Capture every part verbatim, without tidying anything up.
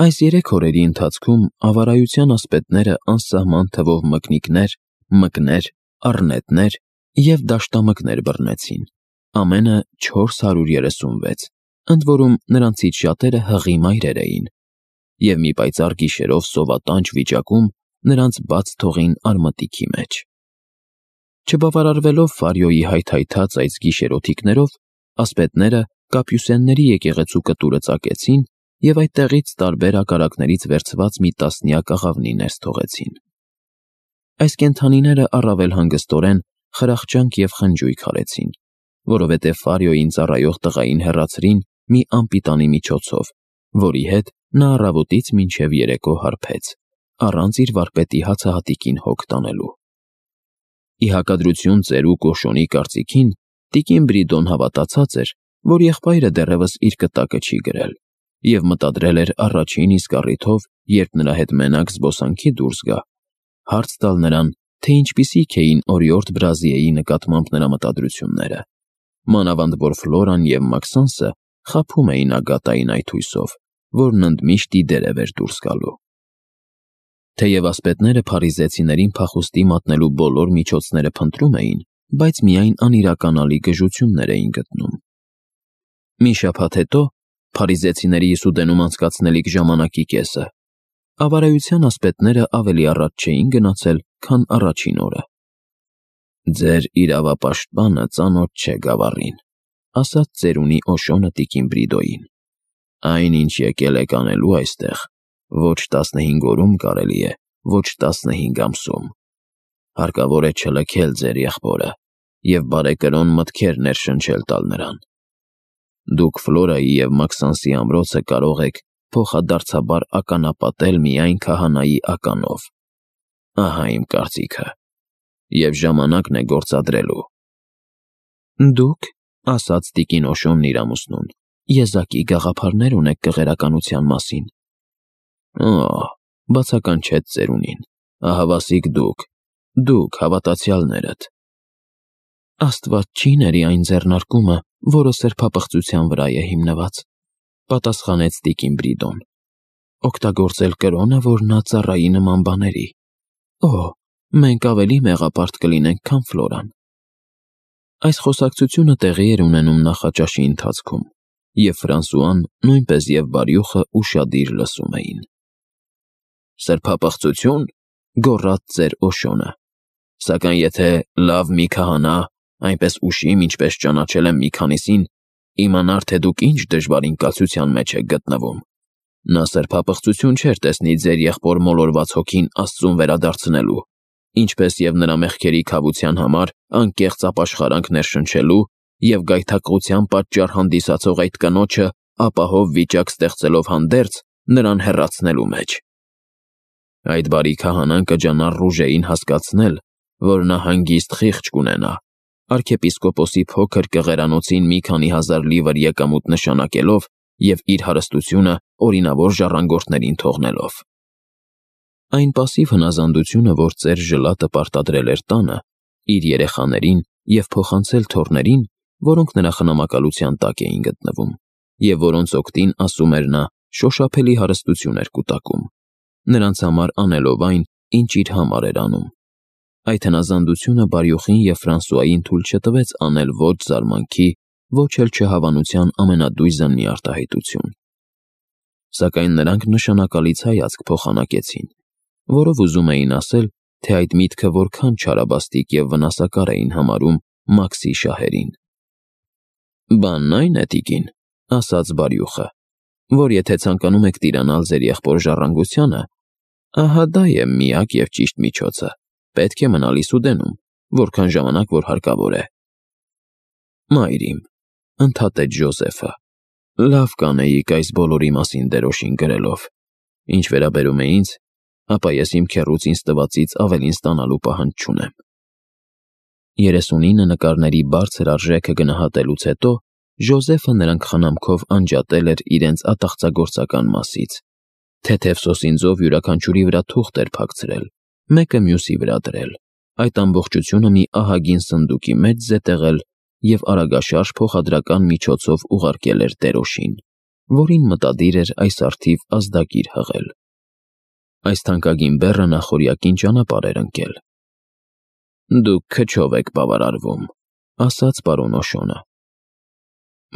Այս երեք օրերի ընթացքում ավարայության ասպետները անսահման թվով մկնիկներ, մկներ, առնետներ և դաշտամկներ բռնեցին, ամենը չորս հարյուր երեսունվեց, ընդ որում նրանցից շատերը հղի մայրեր էին, և մի պայծառ գիշերով սովատանչ վիճակում նրանց բաց թողին արմատիքի մեջ։ Չբավարարվելով Ֆարիոյի հայթայթած այս գիշերօթիկներով, ասպետները Կապյուսենների եկեղեցու կտուրը ծակեցին և այդտեղից տարբեր ակարակներից վերցված մի տասնյակ աղավնի ներս թողեցին։ Այս կենդանիները առավել հանգստորեն խրախճանք և խնջույք արեցին, որովհետև Ֆարիոյին ծառայող տղային հեռացրին մի անպիտանի միջոցով, որի հետ նա առավոտից մինչև երեկո հարբեց, առանց իր վարպետի հացահատիկին հոգ տանելու։ Ի հակադրություն ծերուկ Օշոնի կարծիքին, տիկին Բրիդոն հավատացած էր, որ եղբայրը դեռևս իր կտակը չի գրել, և մտադրել էր առաջին իսկ առիթով, երբ նրա հետ մենակ զբոսանքի դուրս գա, հարց տալ նրան, թե ինչպիսիք էին օրիորդ Բրազիեի նկատմամբ նրա մտադրությունները, մանավանդ որ Ֆլորան և Մաքսանսը խաբում էին Ագատային այդ հույսով, որն ընդմիշտ ի դերև էր դուրս գալու։ Թեև ասպետները փարիզեցիներին փախուստի մատնելու բոլոր միջոցները փնտրում էին, բայց միայն անիրականալի գժություններ էին գտնում։ Մի շաբաթ հետո, փարիզեցիների Իսուդենում անցկացնելիք ժամանակի կեսը, ավարայության ասպետները ավելի առաջ չէին գնացել, քան առաջին օրը։ «Ձեր իրավապաշտպանը ծանոթ չէ գավառին», ասաց ծերունի Օշոնը տիկին Բրիդոյին։ «Այն, ինչ եկել եք անելու այստեղ, ոչ տասնհինգ օրում կարելի է, ոչ տասնհինգ ամսում։ Հարկավոր է չլքել ձեր եղբորը և բարեկրոն մտքեր ներշնչել տալ նրան։ Դուք Ֆլորայի և Մաքսանսի ամրոցը կարող եք փոխադարձաբար ականապատել միայն քահանայի ականով։ Ահա իմ կարծիքը, և ժամանակն է գործադրելու»։ «Դուք, — ասաց տիկին Օշոնն իր ամուսնուն, — եզակի գաղափարներ ունեք կղերականության մասին»։ «Օ՛, — բացականչեց ծերունին, — ահավասիկ դուք, դուք հավատացյալներդ»։ «Աստված չի ների այն ձեռնարկումը, որը սրբապղծության վրա է հիմնված», — պատասխանեց տիկին Բրիդոն։ «Օգտագործել կրոնը, որ նա ծառայի նման բաների։ Օ, մենք ավելի մեղապարտ կլինենք, քան Ֆլորան»։ Այս խոսակցությունը տեղի էր ունենում նախաճաշի ընթացքում, և Ֆրանսուան, նույնպես և Բարյուխը ուշադիր լսում էին։ «Սրբապղծություն, — գոռաց ծեր Օշոնը, — սակայն եթե լավ մի քահանա այնպես ուշիմ, ինչպես ճանաչել եմ մի քանիսին, իմանար, թե դուք ինչ դժվարին կացության մեջ եք գտնվում, նա սրբապղծություն չէր տեսնի ձեր եղբոր մոլորված հոգին Աստծուն վերադարձնելու, ինչպես և նրա մեղքերի քավության համար անկեղծ ապաշխարանք ներշնչելու և գայթակղության պատճառ հանդիսացող այդ կնոջը ապահով վիճակ ստեղծելով հանդերձ նրան հեռացնելու մեջ։ Այդ բարի քահանան կջանա Ռուժեին հասկացնել, որ նա հանգիստ խիղճ կունենա, արքեպիսկոպոսի փոքր կղերանոցին մի քանի հազար լիվր եկամուտ նշանակելով և իր հարստությունը օրինավոր ժառանգորդներին թողնելով։ Այն պասիվ հնազանդությունը, որ ծեր Ժլատը պարտադրել էր տանը, իր երեխաներին և փոխանցել թոռներին, որոնք նրա խնամակալության տակ էին գտնվում, և որոնց օգտին, ասում էր նա, շոշափելի հարստություն էր կուտակում, նրանց համար անելով այն, ինչ իր համար էր անում։ Այդ հնազանդությունը Բարյուխին և Ֆրանսուային թույլ չտվեց անել ոչ զարմանքի, ոչ էլ չհավանության ամենադույզն մի արտահայտություն։ Սակայն նրանք նշանակալից հայացք փոխանակեցին, որով ուզում էին ասել, թե այդ միտքը որքան չարաբաստիկ և վնասակար էին համարում Մաքսի շահերին։ «Բանն այն է, տիկին, — ասաց Բարյուխը, — որ եթե ցանկանում եք տիրանալ ձեր եղբոր ժառանգությանը, ահա դա է միակ և ճիշտ միջոցը. պետք է մնալ Իսուդենում, որքան ժամանակ որ հարկավոր է»։ «Մայր իմ, — ընդհատեց Ժոզեֆը, — լավ կանեիք այս բոլորի մասին դերոշին գրելով։ Ինչ վերաբերում է ինձ, ապա ես իմ քեռուց ինձ տվածից ավելին ստանալու պահանջ չունեմ»։ երեսունինը նկարների բարձր արժեքը գնահատելուց հետո Ժոզեֆը նրանք խնամքով անջատել էր իրենց ատաղծագործական մասից, թեթև սոսինձով յուրաքանչյուրի վրա թուղթ էր փակցրել, մեկը մյուսի վրա դրել, այդ ամբողջությունը մի ահագին սնդուկի մեջ զետեղել և արագաշարժ փոխադրական միջոցով ուղարկել էր դերոշին։ որին մտադիր էր այս առթիվ ազդագիր հղել։ Այս թանկագին բեռը նախօրյակին ճանապարհ էր ընկել։ «Դուք քչով եք բավարարվում», ասաց պարոն Օշոնը։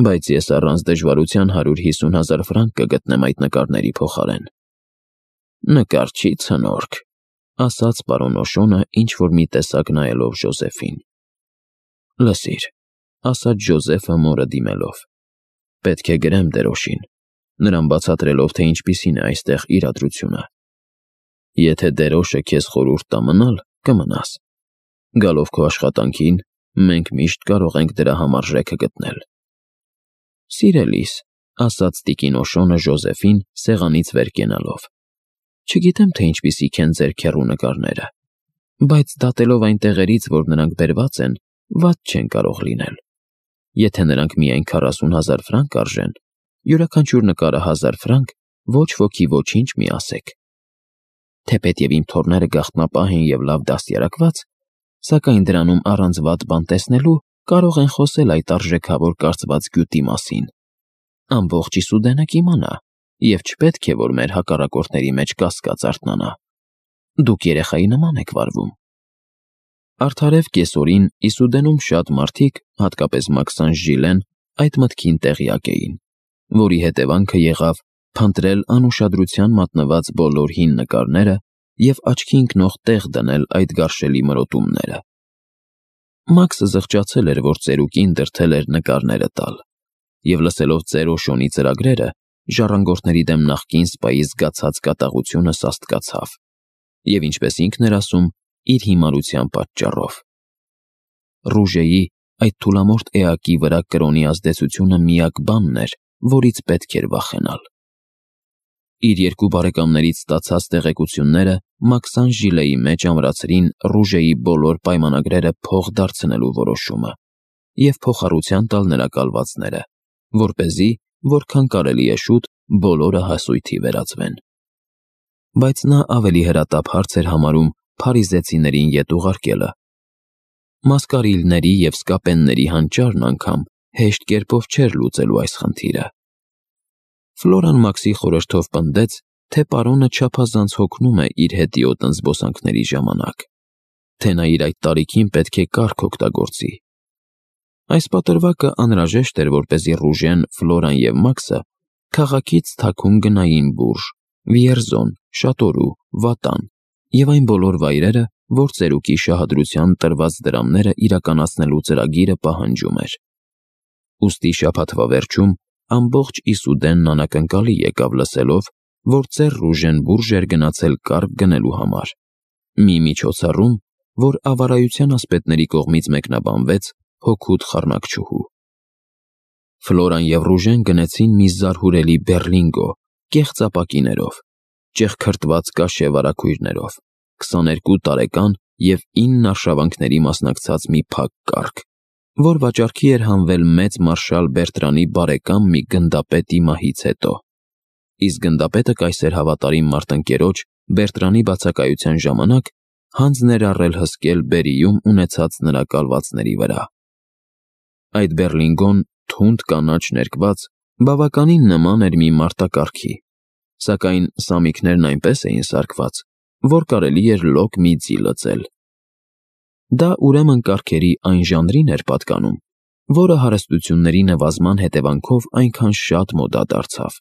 «Բայց ես առանց դժվարության հարյուր հիսուն հազար ֆրանկ կգտնեմ այդ նկարների փոխարեն»։ «Նկար չի ցնորք», ասաց պարոն Օշոնը ինչ-որ մի տեսակ նայելով Ժոզեֆին։ «Լսիր», ասաց Ժոզեֆը մորը դիմելով, «պետք է գրեմ դերոշին, նրան բացատրելով, թե ինչպիսին է այստեղ իրադրությունը։ Եթե դերոշը քեզ խորհուրդ տա մնալ, կմնաս։ Գալով քո աշխատանքին, մենք միշտ կարող ենք դրա համարժեքը գտնել»։ «Սիրելիս», ասաց տիկին Օշոնը Ժոզեֆին սեղանից վեր կենալով, «չգիտեմ, թե ինչպիսիք են ձեր քեռու նկարները, բայց դատելով այն տեղերից, որ նրանք բերված են, վատ չեն կարող լինել։ Եթե նրանք միայն քառասուն հազար ֆրանկ արժեն, յուրաքանչյուր նկարը հազար ֆրանկ, ոչ ոքի ոչինչ մի ասեք։ Թեպետև իմ թոռները գաղտնապահ են և լավ դաստիարակված, սակայն դրանում առանց վատ բան տեսնելու կարող են խոսել այդ արժեքավոր կարծված գյուտի մասին։ Ամբողջ Իսուդենը կիմանա, և չպետք է, որ մեր հակառակորդների մեջ կասկած արթնանա։ Դուք երեխայի նման եք վարվում»։ Արդարև կեսօրին Իսուդենում շատ մարդիկ, հատկապես Մաքսանշ Ժիլեն, այդ մտքին տեղյակ էին, որի հետևանքը եղավ փնտրել անուշադրության մատնված բոլոր հին նկարները և աչքի ընկնող տեղ դնել այդ գարշելի մրոտումները։ Մաքսը զղջացել էր, որ ծերուկին դրդել էր նկարները տալ, և լսելով ծեր Օշոնի ծրագրերը, ժառանգորդների դեմ նախկին սպայի զգացած կատաղությունը սաստկացավ, և ինչպես ինքն էր ասում, իր հիմարության պատճառով։ Ռուժեի, այդ թուլամորթ էակի վրա կրոնի ազդեցությունը միակ բանն էր, որից պետք էր վախենալ։ Իր երկու բարեկամներից ստացած տեղեկությունները Մաքսանշ Ժիլեի մեջ ամրացրին Ռուժեի բոլոր պայմանագրերը փող դարձնելու որոշումը և փոխառության տալ նրա կալվածները, որպեսզի, որքան կարելի է շուտ, բոլորը հասույթի վերածվեն։ Բայց նա ավելի հրատապ հարց էր համարում փարիզեցիներին ետ ուղարկելը։ Մասկարիլների և սկապենների հանճարն անգամ հեշտ կերպով չէր լուծելու այս խնդիրը։ Ֆլորան Մաքսի խորհրդով պնդեց, թե պարոնը չափազանց հոգնում է իր հետիոտն զբոսանքների ժամանակ, թե նա իր այդ տարիքին պետք է կարգ օգտագործի։ Այս պատրվակը անհրաժեշտ էր, որպեսզի Ռուժեն, Ֆլորան և Մաքսը քաղաքից թաքուն գնային Բուրժ, Վիերզոն, Շատորու, Վատան և այն բոլոր վայրերը, որ ծերուկի շահադրության տրված դրամները իրականացնելու ծրագիրը պահանջում էր։ Ուստի շաբաթվա վերջում ամբողջ Իսուդենն անակնկալի եկավ լսելով, որ ծեր Ռուժեն Բուրժ էր գնացել կառք գնելու համար, մի միջոցառում, որ ավարայության ասպետների կողմից մեկնաբանվեց հօգուտ խառնակչուհու։ Ֆլորան և Ռուժեն գնեցին մի զարհուրելի բեռլինգո, կեղծ ապակիներով, ճեղքրտված կաշե վարագույրներով, քսաներկու տարեկան և ինն արշավանքների մասնակցած մի փակ կառք, որ վաճառքի էր հանվել մեծ մարշալ Բերտրանի բարեկամ մի գնդապետի մահից հետո, իսկ գնդապետը կայսեր հավատարիմ մարտնկերոջ Բերտրանի բացակայության ժամանակ հանձն էր առել հսկել Բերիում ունեցած նրա կալվածների վրա։ Այդ բեռլինգոն, թունդ կանաչ ներկված, բավականին նման էր մի մարտակառքի, սակայն սամիկներն այնպես էին սարքված, որ կարելի էր լոկ մի ձի լծել։ Դա ուրեմն կառքերի այն ժանրին էր պատկանում, որը հարստությունների նվազման հետևանքով այնքան շատ մոդա դարձավ,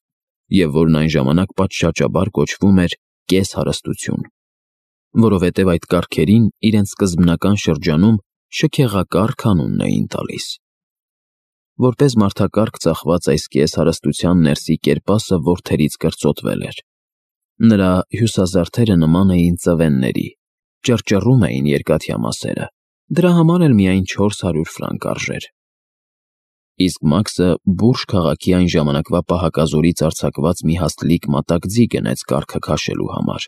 և որն այն ժամանակ պատշաճաբար կոչվում էր կես֊հարստություն, որովհետև այդ կառքերին իրենց սկզբնական շրջանում շքեղակառք անունն էին տալիս։ Որպես մարդակառք ծախված այս կես-հարստության ներսի կերպասը որդերից կրծոտվել էր։ Նրա հյուսազարդերը նման էին ծվենների, ճռճռում էին երկաթյա մասերը, դրա համար էլ միայն չորս հարյուր ֆրանկ արժեր։ Իսկ Մաքսը Բուրժ քաղաքի այն ժամանակվա պահակազորից արձակված մի հաստլիկ մատակ ձի գնեց կառքը քաշելու համար։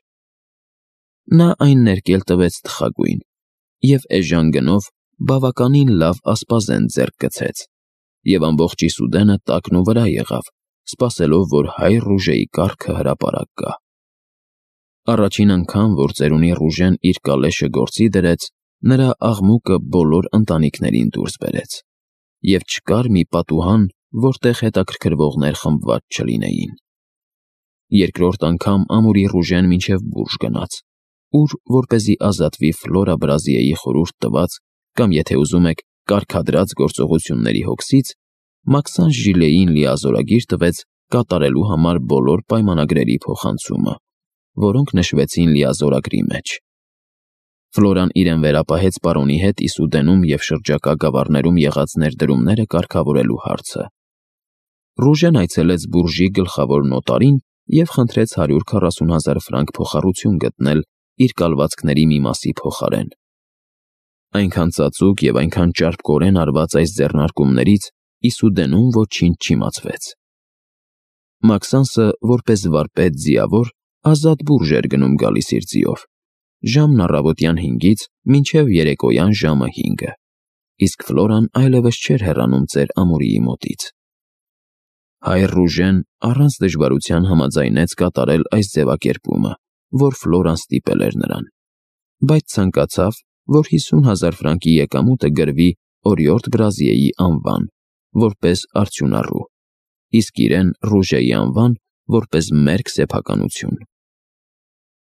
Նա այն ներկել տվեց թխագույն և էժան գնով բավականին լավ ասպազեն ձեռք գցեց, և ամբողջ Իսուդենը տակն ու վրա եղավ, սպասելով, որ հայր Ռուժեի կառքը հրապարակ գա։ Առաջին անգամ, որ ծերունի Ռուժեն իր կալեշը գործի դրեց, նրա աղմուկը բոլոր ընտանիքներին դուրս բերեց, և չկար մի պատուհան, որտեղ հետաքրքրվողներ խմբված չլինեին։ Երկրորդ անգամ ամուրի Ռուժեն մինչև բուրժ գնաց, ուր, որպեսզի ազատվի Ֆլորա Բրազիեի խորհուրդ տված կամ, եթե ուզում եք, կարգադրած գործողությունների հոգսից, Մաքսանս Ժիլեին լիազորագիր տվեց կատարելու համար բոլոր պայմանագրերի փոխանցումը, որոնք նշվեցին լիազորագրի մեջ։ Ֆլորան իրեն վերապահեց պարոնի հետ Իսուդենում և շրջակա գավառներում եղած ներդրումները կարգավորելու հարցը։ Ռուժեն այցելեց բուրժի գլխավոր նոտարին և խնդրեց հարյուր քառասուն հազար ֆրանկ փոխառություն գտնել իր կալվածքների մի մասի փոխարեն։ Այնքան ծածուկ և այնքան ճարպկորեն արված այս ձեռնարկումներից Իսուդենում ոչինչ չիմացվեց։ Մաքսանսը, որպես վարպետ ձիավոր, ազատ բուրժ էր գնում գալիս իր ձիով, ժամն առավոտյան հինգից մինչև երեկոյան ժամը հինգը, իսկ Ֆլորան այլևս չէր հեռանում ծեր ամուրիի մոտից։ Հայր Ռուժեն առանց դժվարության համաձայնեց կատարել այս ձևակերպումը, որ Ֆլորան ստիպել էր նրան, բայց ցանկացավ, որ հիսուն հազար ֆրանկի եկամուտը գրվի օրիորդ Բրազիեի անվան, որպես արդյունառու, իսկ իրեն Ռուժեի անվան, որպես մերկ սեփականություն։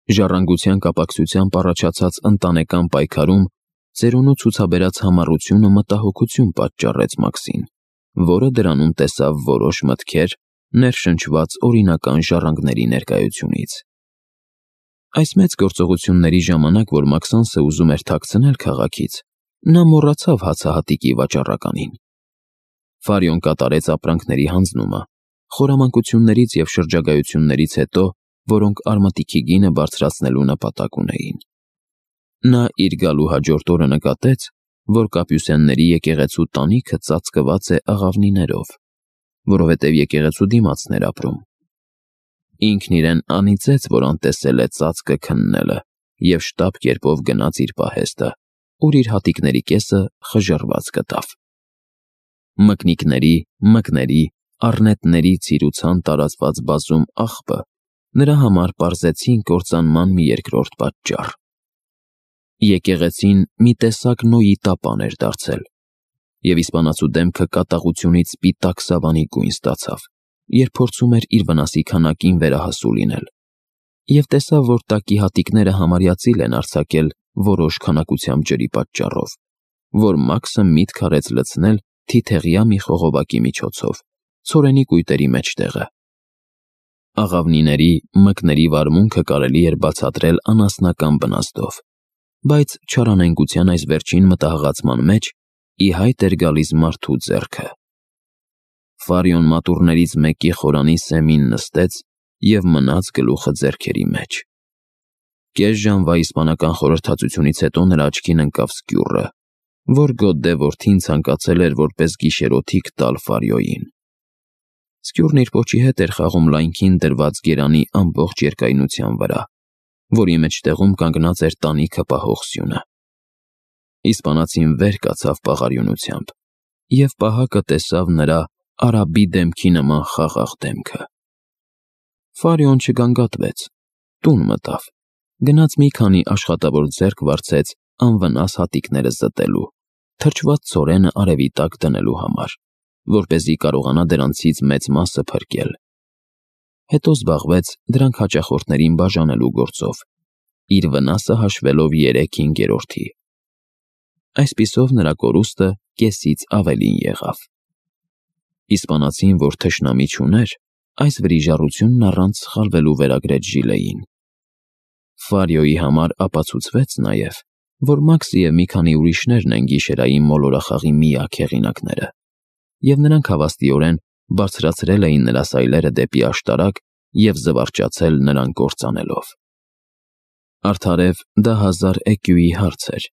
Ժառանգության կապակցությամբ առաջացած ընտանեկան պայքարում ծերունու ցուցաբերած համառությունը մտահոգություն պատճառեց Մաքսին, որը դրանում տեսավ որոշ մտքեր, ներշնչված օրինական ժառանգների ներկայությունից։ Այս մեծ գործողությունների ժամանակ, որ Մաքսանսը ուզում էր թաքցնել քաղաքից, նա մոռացավ հացահատիկի վաճառականին։ Ֆարիոն կատարեց ապրանքների հանձնումը, խորամանկություններից և շրջագայություններից հետո, որոնք արմատիքի գինը բարձրացնելու նպատակ ունեին։ Նա իր գալու հաջորդ օրը նկատեց, որ կապյուսենների եկեղեցու տանիքը ծածկված է աղավնիներով, որովհետև եկեղեցու դիմացն էր ապրում։ Ինքն իրեն անիծեց, որ անտեսել է ծածկը քննելը և շտապ կերպով գնաց իր պահեստը, ուր իր հատիկների կեսը խժռված գտավ։ Մկնիկների, մկների, առնետների ցիրուցան տարածված բազում աղբը նրա համար պարզեցին կործանման մի երկրորդ պատճառ։ Եկեղեցին մի տեսակ Նոյի տապան էր դարձել, և իսպանացու դեմքը կատաղությունից սպիտակ սավանի գույն ստացավ, երբ փորձում էր իր վնասի քանակին վերահասու լինել, և տեսավ, որ տակի հատիկները համարյա ծիլ են արձակել որոշ քանակությամբ ջրի պատճառով, որ Մաքսը միտք արեց լցնել թիթեղյա մի խողովակի միջոցով, ցորենի կույտերի մեջտեղը։ Աղավնիների, մկների վարմունքը կարելի էր բացատրել անասնական բնաստով, բայց չարանենգության այս վերջին մտահղացման մեջ ի հայտ էր գալիս մարդու ձեռքը։ Ֆարիոն մատուռներից մեկի խորանի սեմին նստեց և մնաց գլուխը ձեռքերի մեջ։ Կես ժամվա իսպանական խորհրդածությունից հետո նրա աչքին ընկավ սկյուռը, որ Գոդդե որդին ցանկացել էր որպես գիշերօթիկ տալ Ֆարիոյին։ Սկյուռն իր պոչի հետ էր խաղում լայնքին դրված գերանի ամբողջ երկայնության վրա, որի մեջտեղում կանգնած էր տանիքը պահող սյունը։ Իսպանացին վեր կացավ պաղարյունությամբ, և պահակը տեսավ նրա արաբի դեմքի նման խաղաղ դեմքը։ Ֆարիոն չգանգատվեց, տուն մտավ, գնաց մի քանի աշխատավոր ձեռք վարձեց անվնաս հատիկները զտելու, թրջված ցորենը արևի տակ դնելու համար, որպեսզի կարողանա դրանցից մեծ մասը փրկել։ Հետո զբաղվեց դրանք հաճախորդներին բաժանելու գործով, իր վնասը հաշվելով երեք հինգերորդի։ Այսպիսով նրա կորուստը կեսից ավելին եղավ։ Իսպանացին, որ թշնամի չուներ, այս վրիժառությունն առանց սխալվելու վերագրեց Ժիլեին։ Ֆարիոյի համար ապացուցվեց նաև, որ Մաքսը և մի քանի ուրիշներն են գիշերային մոլորախաղի միակ հեղինակները, և նրանք հավաստիորեն բարձրացրել էին նրա սայլերը դեպի աշտարակ և զվարճացել նրան կործանելով։ Արդարև դա հազար էկյուի հարց էր,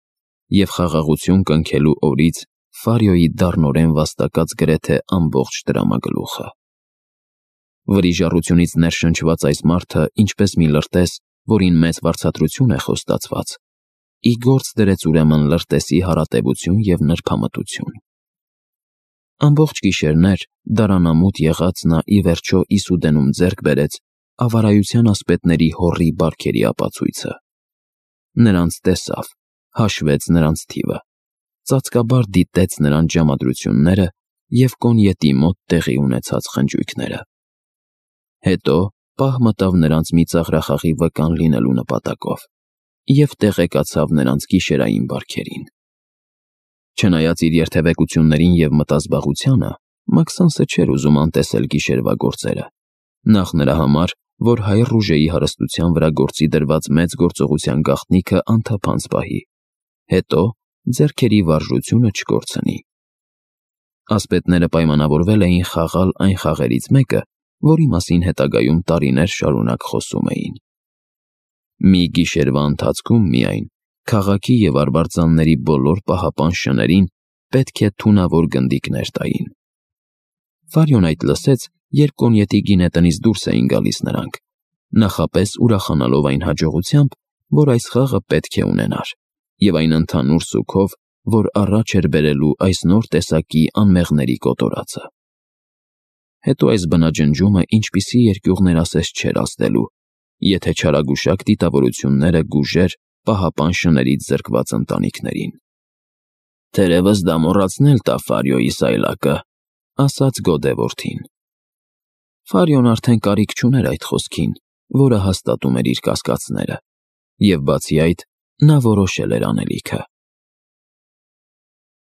և խաղաղություն կնքելու օրից Ֆարիոյի դառնորեն վաստակած գրեթե ամբողջ տրամագլուխը։ Վրիժառությունից ներշնչված այս մարդը, ինչպես մի լրտես, որին մեծ վարձատրություն է խոստացված, ի գործ դրեց ուրեմն լրտեսի հարատևություն և նրբամտություն։ Ամբողջ գիշերներ դարանամուտ եղած նա ի վերջո Իսուդենում ձեռք բերեց ավարայության ասպետների հոռի բարքերի ապացույցը։ Նրանց տեսավ, հաշվեց նրանց թիվը, ծածկաբար դիտեց նրանց ժամադրությունները և կոնյետի մոտ տեղի ունեցած խնջույքները։ Հետո պահ մտավ նրանց մի ծաղրախաղի վկան լինելու նպատակով և տեղեկացավ նրանց գիշերային բարքերին։ Չնայած իր երթևեկություններին և մտազբաղությանը, Մաքսանսը չէր ուզում անտեսել գիշերվա գործերը, նախ նրա համար, որ հայ Ռուժեի հարստության վրա գործի դրված մեծ գործողության գաղտնիքը անթափանց պահի, հետո ձեռքերի վարժությունը չկորցնի։ Ասպետները պայմանավորվել էին խաղալ այն խաղերից մեկը, որի մասին հետագայում տարիներ շարունակ խոսում էին։ Մի գիշերվա ընթացքում միայն քաղաքի և արբարձանների բոլոր պահապան շներին պետք է թունավոր գնդիկներ տային։ Ֆարիոն այդ լսեց, երբ կոնյետի գինետնից դուրս էին գալիս նրանք, նախապես ուրախանալով այն հաջողությամբ, որ այս խաղը պետք է ունենար, և այն ընդհանուր սուգով, որ առաջ էր բերելու այս նոր տեսակի անմեղների կոտորածը։ Հետո այս բնաջնջումը ինչպիսի երկյուղներ ասես չէր ազդելու, եթե չարագուշակ դիտավորությունները գուժեր պահապան շներից զրկված ընտանիքներին։ «Թերևս դա մոռացնել տա Ֆարիոյի սայլակը», ասաց Գոդե որդին։ Ֆարիոն արդեն կարիք չուներ այդ խոսքին, որը հաստատում էր իր կասկածները, և բացի այդ, նա որոշել էր անելիքը։